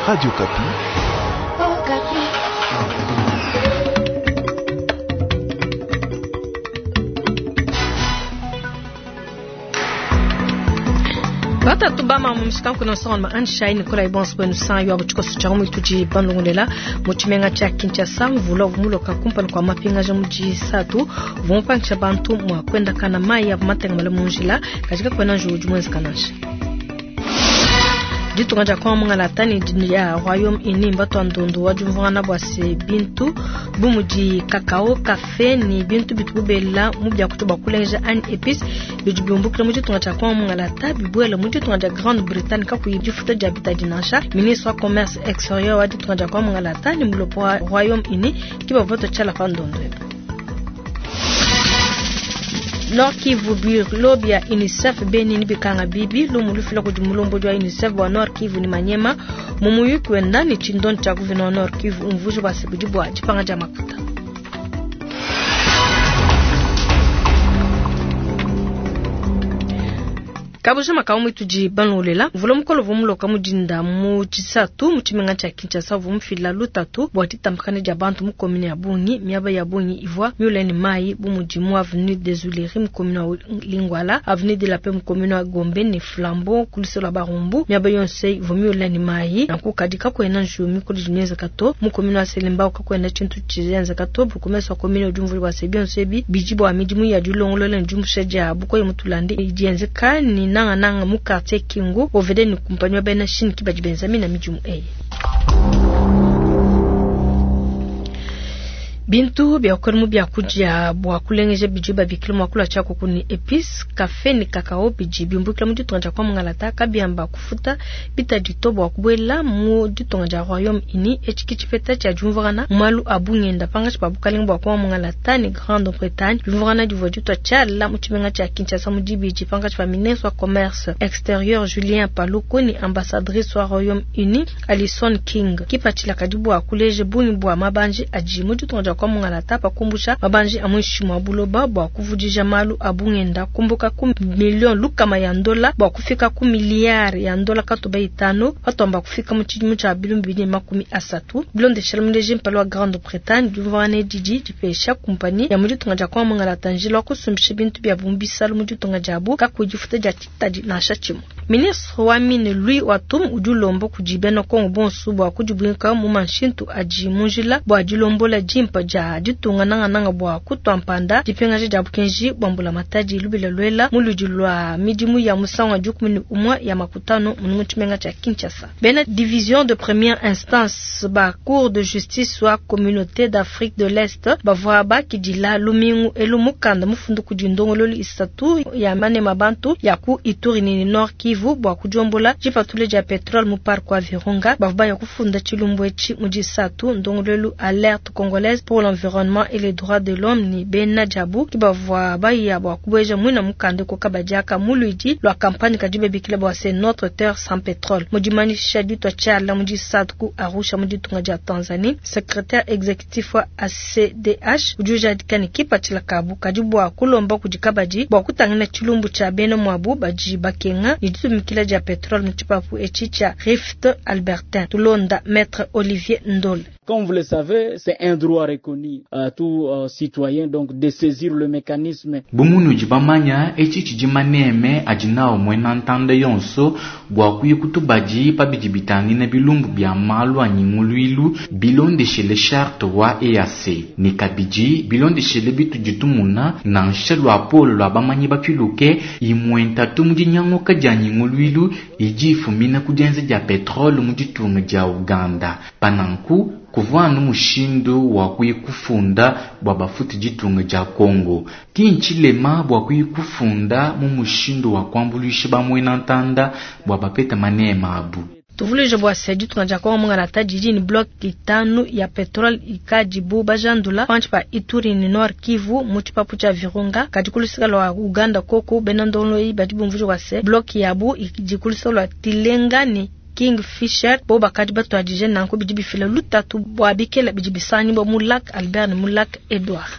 Radio Okapi. Batatu bama mu mishikanku na nsonga ma Anshai Nikolai bonso bwenu san yo tshikoso tshia mu tudi bandongolela mu tshimenga tshia Kinshasa mvula uvua kumpala kwa mapingaja mu disatu uvua mupangisha bantu mua kuendakana mayi avua matengamale mu njila kadi kakuena njiwu udi muenzeka nansha. Ditunga dia Kongo mungalata ne dia Royaume-Uni mbatua ndondu wa diumvuangana bua se bintu bu mudi cacao, kafe ne bintu bitubu bela mu biakudia bua kulengeja anyi epice bidi biumbukila mu ditunga dia Kongo mungalata bibuela mu ditunga dia Grande-Bretagne kakuyi difuta dia bitadi nansha. Ministre wa commerce exterieur wa ditunga dia Kongo mungalata ne mulopo wa Royaume-Uni ke bavua batua tshiala pa ndondu ebu. Nord Kivu bureau bia UNICEF Beni ni bikanga bibi lumu lufila kudi mulombodi wa UNICEF wa Nord Kivu ni Manyema mu muyuki wenda ne tshindondi tshia guvena wa Nord Kivu umvuija bua se budi bua dipanga dia makuta. Kabujima ka umwe tudi banlolela mvula mukolo uvua muloka mu dinda mu tshisatu mu tshimenga tshia Kinshasa uvua mufila lutatu bua ditambakana dia bantu mu commune ya bungi miaba ya bungi ivua miule ne mayi bu mudi mu avenue des Huileries mu commune wa Lingwala, avenue de la Paix mu commune wa Gombe ne Flambeau ku luseke lua Barumbu miaba yonso eyi ivua miule ne mayi. Nanku kadi kakuena njiwu mikole idi mienzeka to mu commune wa Selembao kakuena tshintu tshienzeka to. Bourgmestre wa commune udi umvuija bua se bionso ebi bidi bua midimu ya dilongolola ne diumbusha dia bukoya mu tulande idi yenzeka ne nangananga mu quartier Kingu OVD ne kumpanyi wa bena Chine ki badi benza mina midimu eyi. Bintu bia kuela mu biakudia bua kulengeja bidi babikila mua kulua tshiakuku ne epice, kafe ne cacao bidi biumbukila mu ditunga dia kwa Mungalata kabiamba kufuta bitadi to bua kubuela mu ditunga dia Royaume-Uni. Etshi ki tshipeta tshia diumvuangana mu malu a bungenda pangatshi pa bukalenge bua kwa Mungalata ne Grande-Bretagne. Diumvuangana divua ditua tshiala mu tshimenga tshia Kinshasa mu dibidi pankatshi pa ministre wa commerce exterieur Julien Paluku ne ambassadrice wa Royaume-Uni Alison King. Kipatshila kadi bua kuleja bungi bua mabanji adi mu ditunga dia kwa Mungalata pa kumbusha mabanji a muinshi mua buloba bua kuvudija malu a bungenda kumbuka ku million lukama ya ndola bua kufika ku miliyari ya ndola katuba itanu patuamba kufika mu tshidimu tshia bilumbu bibidi ne makumi asatu. Bilondeshela muleji mpala wa Grande-Bretagne diumvuangana didi dipesha kumpanyi ya mu ditunga dia kwa Mungalata njila wa kusumbisha bintu bia mu bisalu mu ditunga diabu kakuyi difuta dia tshitadi nansha tshimue. Ministre wa mine Louis Watum udi ulomba kudi bena Kongo bonso bua kudibuinka mu manshintu adi mu njila bua dilombola dimpa dia ditunga nangananga bua kutua mpanda dipingaja dia bukenji bua mbulamatadi lubila luela mu ludi lua midimu ya musangu wa dikumi ne umue ya makutano mu tshimenga tshia Kinshasa. Bena division de première instance ba cour de justice wa communauté d'Afrique de l'Est bavua bakidila lumingu elu mukanda mufundu kudi ndongololu isatu ya manema bantu ya ku Ituri ne Nord Kivu bua kudiombola dipatula dia petrole mu parc wa Virunga. Bavua baya kufunda tshilumbu etshi mu disatu ndongololu alerte congolaise pour l'environnement et les droits de l'homme ne bena diabu ki bavua baya bua kubueja muina mukanda ku kabadiaka mu luidi lua campagne kadi babikila bua se notre terre sans pétrole. Mu dimanyisha ditua tshiala mu disatu ku Arusha mu ditunga dia Tanzanie, secrétaire exécutif wa ACDH udi ujadika ne kipatshila kabu kadi bua kulomba kudi kabadi bua kutangila tshilumbu tshia bena muabu badi bakenga ne ditumikila dia petrole mu tshipapu etshi tshia Rift Albertin. Tulonda maître Olivier Ndole. Comme vous le savez, c'est un droit reconnu à tout citoyen donc de saisir le mécanisme. Bu munudi bamanya etshi tshidi maneme adi nawu muena ntanda yonso bua kuya kutubadi pa bidi bitangila bilumbu bia malu a nyinguluilu bilondeshele charte wa EAC ne kabidi bilondeshele bitudi tumuna nansha luapolo lua bamanyi bapiluke imue ntatu mu dinyanguka dia nyinguluilu idi ifumina ku dienza dia petrole mu ditunga dia Uganda. Pananku kuvua anu mushindu wa kuya kufunda bua bafuti ditunga dia Kongo. Ki ntshilema bua kuya kufunda mu mushindu wa kuambuluisha bamuena ntanda bua bapete manema abu. Tuvuluije bua se ditunga dia Kongo mungalata didi ne bloc itanu ya petrole ikadibu bajandula pantshi pa Ituri ne Nord Kivu mu tshipapu tshia Virunga. Kadi ku luseke lua Uganda koku bena ndongolo badi bumvuija bua se bloc yabu idi ku luseke lua Tilenga ne Kingfisher bo bakadi batuadije nanku bidi bifila lutatu bua bikela bidi bisangibua mu lac Albert ne mu lac Edouard.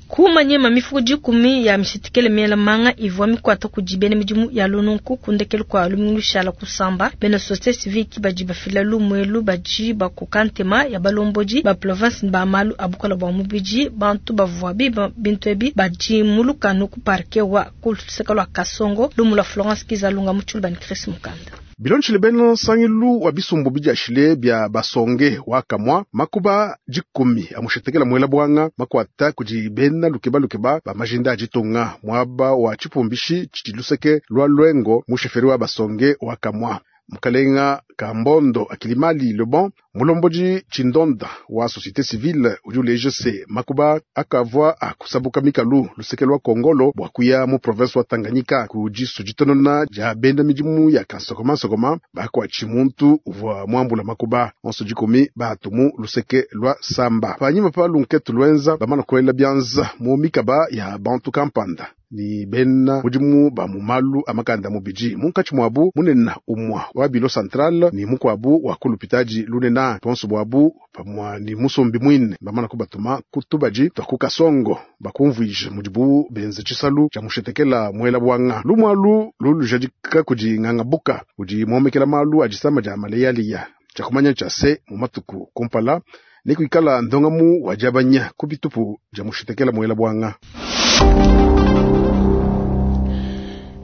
Ku Maniema, mifuku dikumi ya mishitikele miela manga ivua mikuata kudi bena midimu ya lununku ku ndekelu kua lumingu lushala kusamba. Bena société civile ki badi bafila lumu elu, badi bakoka ntema ya balombodi ba province ba malu a bukola bua mubidi. Bantu bavua biba bintu ebi badi mu lukanu ku parquet wa ku luseke lua Kasongo. Lumu lua Florence Kizalunga mu Tshiluba ne Chris Mukanda. Bilondeshile bena nsangilu wa bisumbu bidiashile bia basonge wa kamwa makuba dikumi amushetekela muela bwanga makwata kudi bena lukeba lukeba ba majinda a ditunga muaba wa tshipumbishi tshidi luseke lwa lwengo mu sheferi wa basonge wa kamwa. Mukalenga Kambondo Akilimali Lebon mulombodi tshindonda wa société civile udi uleja se makuba akavua akusabuka mikalu luseke lwa Kongolo bua kuya mu province wa Tanganyika ku disu ditonona dia bena midimu ya kansokoma-nsokoma bakuatshi muntu uvua muambula makuba onso dikumi batu mu luseke lwa Samba. Panyima pa lunketu lwenza bamana kuela bianza mu mikaba ya bantu kampanda ni bena mudimu ba mu malu a makanda mubidi munkatshi muabu munene umua wa bilo central ni mukuabu wa kulupitaji lunena bonso bwabu pamua ni musombi mwine bamana kubatuma kutubaji twa ku Kasongo bakumvuija mudibu benze tshisalu tshia mushetekela muela bwanga lumwalu lulujadika kudi nganga buka udi muomekela malu a disama dia maleyaliya tshia kumanya tshia se mu matuku kumpala ni kuikala ndongamu wa diabanya ku bitupu dia mushetekela muela bwanga.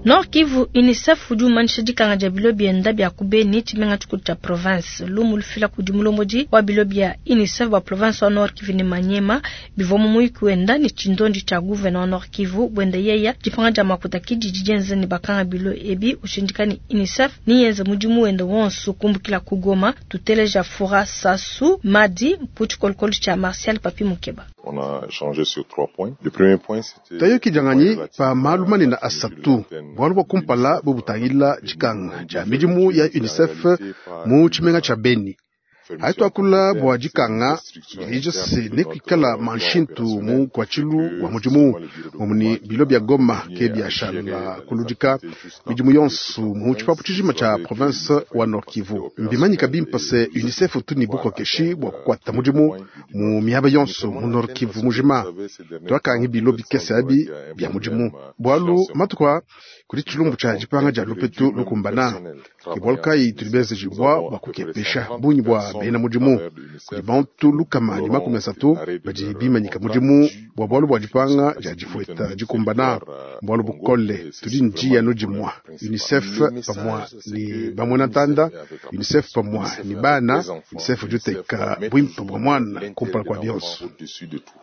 Nord Kivu, UNICEF udi umanyisha dikanga dia bilo bienda bia ku Beni, tshimenga tshikulu tshia province. Lumu lufila kudi mulombodi wa bilo bia UNICEF bua province wa Nord Kivu ne Maniema bivua mu muyuki wenda ne tshindondi tshia gouverneur wa Nord Kivu buenda yeya dipanga dia makuta kididi dienza ne bakanga bilo ebi ushindika ne UNICEF niyenze mudimu wenda wonso kumbukila ku Goma. Tuteleja Fura Sasu Madi mu tshikolokolo tshia Martial Papi Mukeba. On a échangé sur 3 points. Le premier point, c'était Tayoki janganyi pa malu manene asatu bualu bua kumpala bubutangila dikanga dia midimu ya UNICEF mu tshimenga tshia Beni. Haituakula bua dikanga dilija se ne kuikala manshintu mu kuatshilu wa mudimu mumuni bilo bia Goma ke biashala kuludika midimu yonso mu tshipapu tshijima tshia province wa Nord Kivu. Mbimanyika bimpa se UNICEF tuni bukokeshi bua kukuata mudimu mu miaba yonso mu Nord Kivu mujima. Twakangi bilo bikese abi bia mudimu bualu matuku kudi tshilumbu tshia dipanga dia lupetu lukumbana ke bualu kayi tudi benzejibua bua kukepesha bungi bua bena mudimu kudi bantu lukama ne makumi asatu badi bimanyika mudimu bua bualu bua dipanga dia difueta dikumbana bualu bukole tudi njiya no dimua UNICEF pamua ni bamwena ntanda UNICEF pamua ni bana UNICEF udi uteka bwimpe bua mwana kumpala kua bionso.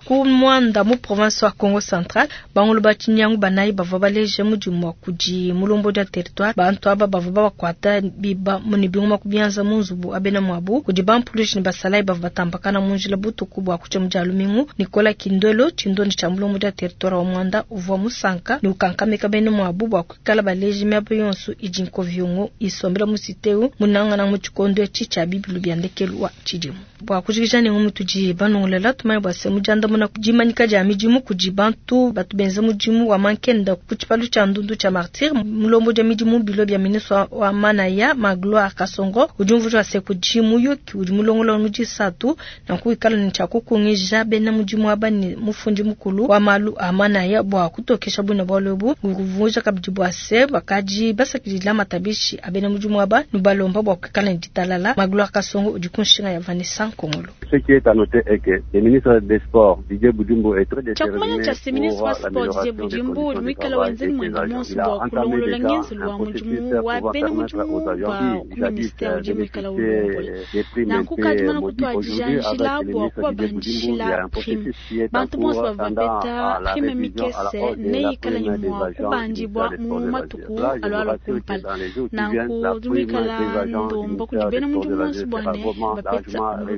Ku Mwanda mu province wa Congo Central bangulu ba tshinyangu banayi bavua baleje mudimu wa kudi mulombodi wa territoire bantu aba bavua babakuata biba ne bingoma ku bianza mu nzubu abena muabu kudi bampulushi ne basalayi bavua batambakana mu njila butuku bua kutshia mu dia lumingu. Nicolas Kindolo tshindondi tshia mulombodi wa territoire wa Mwanda uvua musanka ne ukankamika bena muabu bua kuikala baleji miaba yonso idi nkovyongo isombela mu siteu munangana mu tshikondo etshi tshia bibilu bia ndekelu wa tshidimu. Bua kujikija ne ngumu tudi banongolela tumanye bua se mujandamuna dimanyika dia midimu kudi bantu batu benza mudimu wa mankenda ku tshipalu tshia ndundu tshia Martyr mulombodi wa midimu bilo bia ministre wa manaya Magloire Kasongo udi umvuija se kudi muyuki udi mulongolola mu disatu na kuikala ne tshia kukungija bena mudimu aba ne mufundi mukulu wa malu a manaya bua kutokesha buna bualu ebu kuvuja kabidi bua se bakadi basakidila matabishi a bena mudimu aba nubalomba bua kuikala ne ditalala. Magloire Kasongo udi ku nshinga ya Vanessa Nkongolo. Ce qui est à noter est que le ministre des Sports Didier Budimbu est très déterminé pour ministre wa Sport Didier Budimbu udi muikale wenzeni mwenda monso bua kulongolola ngenzelu wa mudimu wa bena mudimu ba ku ministère udi muikale ulombola nanku kadi mana kutuadija njila bua kubabandishila prime bantu bonso bavua bapeta prime mikese neikale ne mua kubandibua mu matuku alualua kumpala nanku udi muikala ndomba kudi bena mudimu bonso bua ne bapeta lutulu.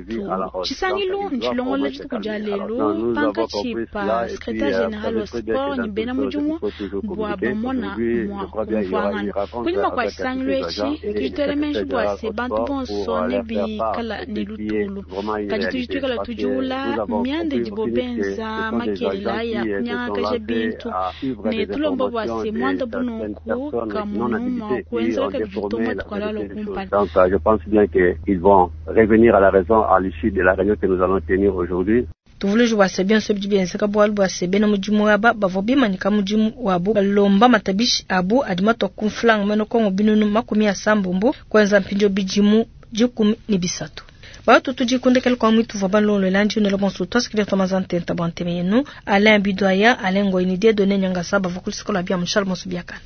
Tshisangilu ntshilongolola dituku dia lelu pankatshi pa secrétaire général wa sport ne bena mudimu bua bamona mua kumvuangana kunyima kua tshisangilu etshi tudi tuela menji bua se bantu bonso ne bikala ne lutulu kadi tudi tuikala tudiula mianda idibo benza makelela ya kunyangakaja bintu ne tulomba bua se muanda bununku kamunu mua kuenzela kabidi matuku alualua kumpala. Donc je pense bien qu'ils vont revenir à la raison à l'issue de la réunion que nous allons tenir aujourd'hui. Tuvuluji bua se bionso bidi bienzeka bualu bua se bena mudimu aba bavua bimanyika mudimu wabu balomba matabishi abu adi matua ku mfranga muena Kongo 600 000 kuenza mpindieu 13. Batu tudi kundekela kwa mwitu vwa balongolola ndi unela bonso twasikidia twamaza ntenta bwa nteme yenu Alain Bidwaya Alain Ngoyini Dieudonné Nyangasa bavua ku luseke lua bia mushalo bonso biakana.